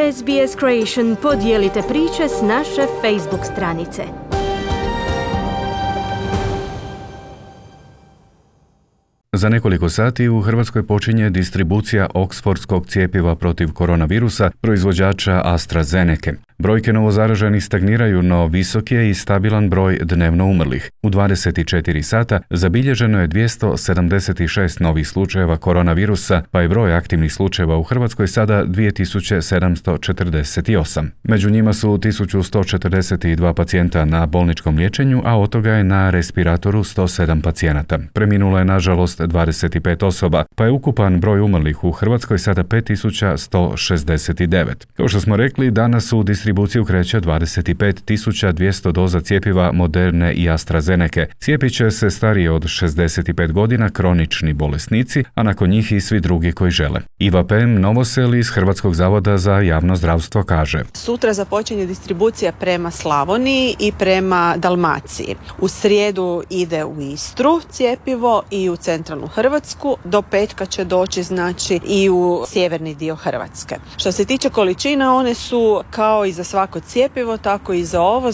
SBS Creation podijelite priče s naše Facebook stranice. Za nekoliko sati u Hrvatskoj počinje distribucija oksfordskog cjepiva protiv koronavirusa proizvođača AstraZenece. Brojke novozaraženih stagniraju, no visok je i stabilan broj dnevno umrlih. U 24 sata zabilježeno je 276 novih slučajeva koronavirusa, pa je broj aktivnih slučajeva u Hrvatskoj sada 2748. Među njima su 1142 pacijenta na bolničkom liječenju, a od toga je na respiratoru 107 pacijenata. Preminulo je nažalost 25 osoba, pa je ukupan broj umrlih u Hrvatskoj sada 5169. Kao što smo rekli, danas u distribuciju kreće 25.200 doza cjepiva Moderne i AstraZenece. Cijepit će se stariji od 65 godina, kronični bolesnici, a nakon njih i svi drugi koji žele. Iva Pem Novosel iz Hrvatskog zavoda za javno zdravstvo kaže: Sutra započinje distribucija prema Slavoniji i prema Dalmaciji. U srijedu ide u Istru cjepivo i u centralnu Hrvatsku. Do petka će doći i u sjeverni dio Hrvatske. Što se tiče količina, one su kao i za svako cjepivo, tako i za ovo,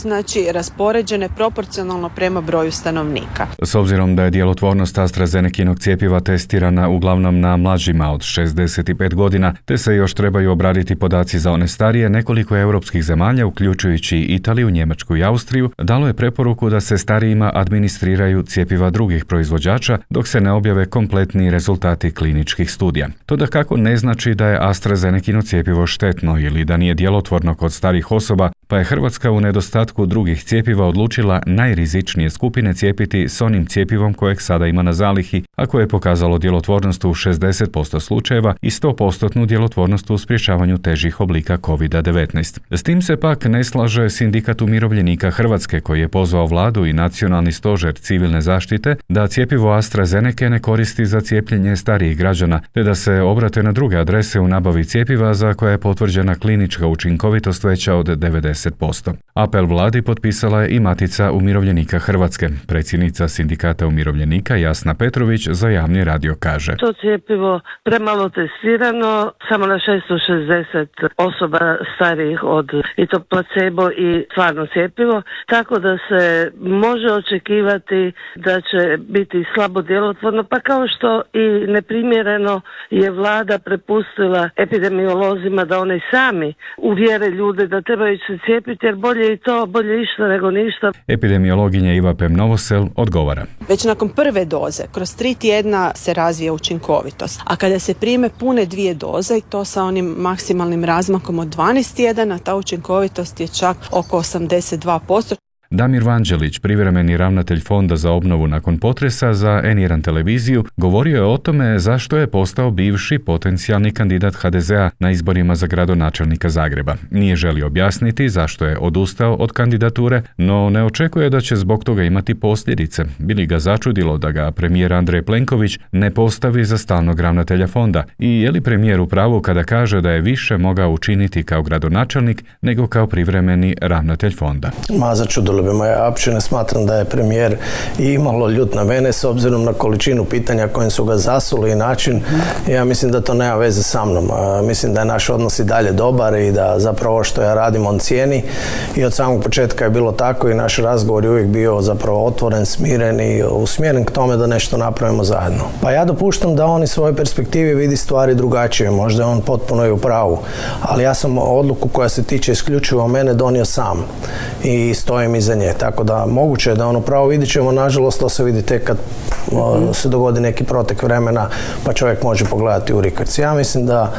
raspoređene proporcionalno prema broju stanovnika. S obzirom da je djelotvornost AstraZenecinog cjepiva testirana uglavnom na mlađima od 65 godina, te se još trebaju obraditi podaci za one starije, nekoliko europskih zemalja, uključujući Italiju, Njemačku i Austriju, dalo je preporuku da se starijima administriraju cjepiva drugih proizvođača dok se ne objave kompletni rezultati kliničkih studija. To dakako ne znači da je AstraZenecino cjepivo štetno ili da nije djelotvorno kod starih osoba, pa je Hrvatska u nedostatku drugih cjepiva odlučila najrizičnije skupine cijepiti s onim cjepivom kojeg sada ima na zalihi, a koje je pokazalo djelotvornost u 60% slučajeva i 100% djelotvornost u sprječavanju težih oblika COVID-19. S tim se pak ne slaže Sindikat umirovljenika Hrvatske, koji je pozvao vladu i Nacionalni stožer civilne zaštite da cjepivo AstraZenece ne koristi za cijepljenje starijih građana, te da se obrate na druge adrese u nabavi cjepiva za koja je potvrđena klinička učinkovitost veća od 90%. Apel vladi potpisala je i Matica umirovljenika Hrvatske. Predsjednica Sindikata umirovljenika Jasna Petrović za javni radio kaže: To cjepivo premalo testirano, samo na 660 osoba starijih od i to placebo i stvarno cjepivo, tako da se može očekivati da će biti slabo djelotvorno, pa kao što i neprimjereno je vlada prepustila epidemiolozima da oni sami uvjere ljude da trebaju se cijepiti, jer bolje i to, bolje išta nego ništa. Epidemiologinja Iva Pem Novosel odgovara: Već nakon prve doze, kroz 3 tjedna se razvija učinkovitost. A kada se prime pune 2 doze, i to sa onim maksimalnim razmakom od 12 tjedana, ta učinkovitost je čak oko 82%. Damir Vanđelić, privremeni ravnatelj Fonda za obnovu nakon potresa za N1 televiziju, govorio je o tome zašto je postao bivši potencijalni kandidat HDZ-a na izborima za gradonačelnika Zagreba. Nije želio objasniti zašto je odustao od kandidature, no ne očekuje da će zbog toga imati posljedice. Bili ga začudilo da ga premijer Andrej Plenković ne postavi za stalnog ravnatelja fonda i je li premijer u pravu kada kaže da je više mogao učiniti kao gradonačelnik nego kao privremeni ravnatelj fonda. Začudilo bi me, ja uopće ne smatram da je premijer imalo ljut na mene s obzirom na količinu pitanja kojim su ga zasuli i način. Ja mislim da to nema veze sa mnom. Mislim da je naš odnos i dalje dobar i da zapravo što ja radim on cijeni i od samog početka je bilo tako i naš razgovor je uvijek bio zapravo otvoren, smiren i usmjeren k tome da nešto napravimo zajedno. Pa ja dopuštam da on iz svoje perspektive vidi stvari drugačije, možda je on potpuno i u pravu, ali ja sam odluku koja se tiče isključivo mene donio sam i stojim iza nje, tako da moguće je da ono pravo vidit ćemo, nažalost to se vidi tek kad se dogodi neki protek vremena pa čovjek može pogledati u rikac. Ja mislim da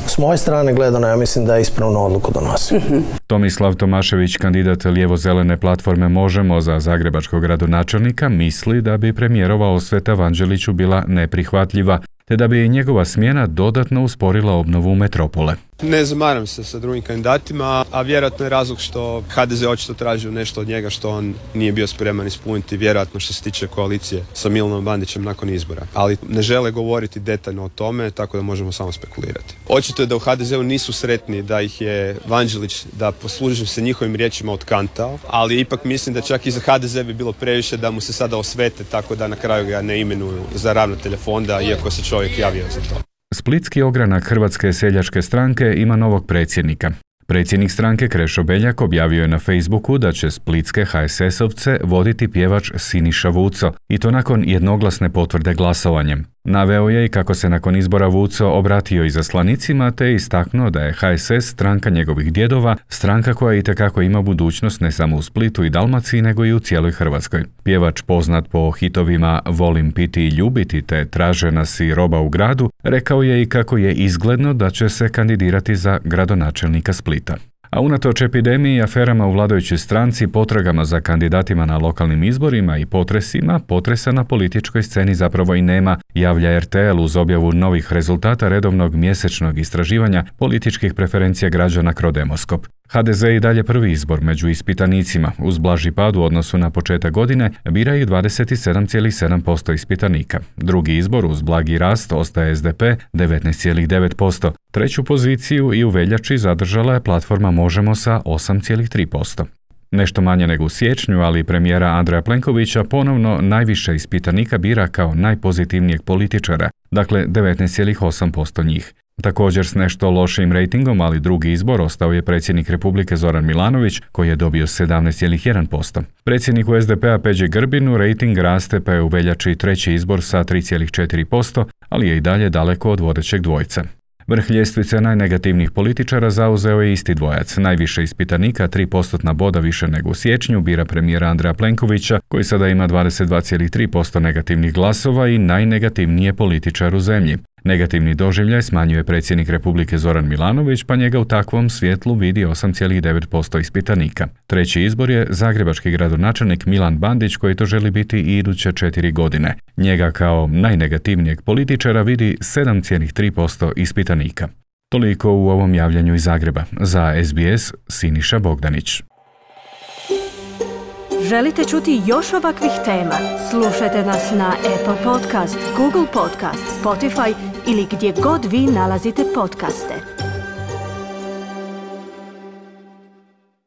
s moje strane gledano, ja mislim da je ispravnu odluku donosi. Tomislav Tomašević, kandidat lijevo-zelene platforme Možemo za zagrebačkog gradonačelnika, misli da bi premijerova osveta Vanđeliću bila neprihvatljiva, te da bi njegova smjena dodatno usporila obnovu metropole. Ne zamaram se sa drugim kandidatima, a vjerojatno je razlog što HDZ očito tražio nešto od njega što on nije bio spreman ispuniti, vjerojatno što se tiče koalicije sa Milanom Bandićem nakon izbora. Ali ne žele govoriti detaljno o tome, tako da možemo samo spekulirati. Očito je da u HDZ-u nisu sretni da ih je Vanđelić, da poslužim se njihovim riječima, otkantao, ali ipak mislim da čak i za HDZ bi bilo previše da mu se sada osvete, tako da na kraju ga ne imenuju za ravnatelja fonda, iako se čovjek javio za to. Splitski ogranak Hrvatske seljačke stranke ima novog predsjednika. Predsjednik stranke Krešo Beljak objavio je na Facebooku da će splitske HSS-ovce voditi pjevač Siniša Vuco, i to nakon jednoglasne potvrde glasovanjem. Naveo je i kako se nakon izbora Vuco obratio izaslanicima te istaknuo da je HSS stranka njegovih djedova, stranka koja itekako ima budućnost ne samo u Splitu i Dalmaciji nego i u cijeloj Hrvatskoj. Pjevač poznat po hitovima Volim piti i ljubiti te Traže nas i Roba u gradu, rekao je i kako je izgledno da će se kandidirati za gradonačelnika Splita. A unatoč epidemiji i aferama u vladajućoj stranci, potragama za kandidatima na lokalnim izborima i potresima, potresa na političkoj sceni zapravo i nema, javlja RTL uz objavu novih rezultata redovnog mjesečnog istraživanja političkih preferencija građana Crodemoskop. HDZ i dalje prvi izbor među ispitanicima, uz blaži pad u odnosu na početak godine, bira ih 27,7% ispitanika. Drugi izbor uz blagi rast ostaje SDP 19,9%. Treću poziciju i u veljači zadržala je platforma Možemo sa 8,3%. Nešto manje nego u siječnju, ali premijera Andreja Plenkovića ponovno najviše ispitanika bira kao najpozitivnijeg političara, dakle 19,8% njih. Također s nešto lošijim rejtingom, ali drugi izbor ostao je predsjednik Republike Zoran Milanović, koji je dobio 17,1%. Predsjedniku SDP-a Peđi Grbinu rejting raste pa je u veljači treći izbor sa 3,4%, ali je i dalje daleko od vodećeg dvojca. Vrh ljestvice najnegativnijih političara zauzeo je isti dvojac. Najviše ispitanika, 3% boda više nego u siječnju, bira premijera Andreja Plenkovića, koji sada ima 22,3% negativnih glasova i najnegativniji je političar u zemlji. Negativni doživljaj smanjuje predsjednik Republike Zoran Milanović, pa njega u takvom svjetlu vidi 8,9% ispitanika. Treći izbor je zagrebački gradonačelnik Milan Bandić, koji to želi biti i iduće 4 godine. Njega kao najnegativnijeg političara vidi 7,3% ispitanika. Toliko u ovom javljanju iz Zagreba. Za SBS, Siniša Bogdanić. Želite čuti još ovakvih tema? Slušajte nas na Apple Podcast, Google Podcast, Spotify ili gdje god vi nalazite podcaste.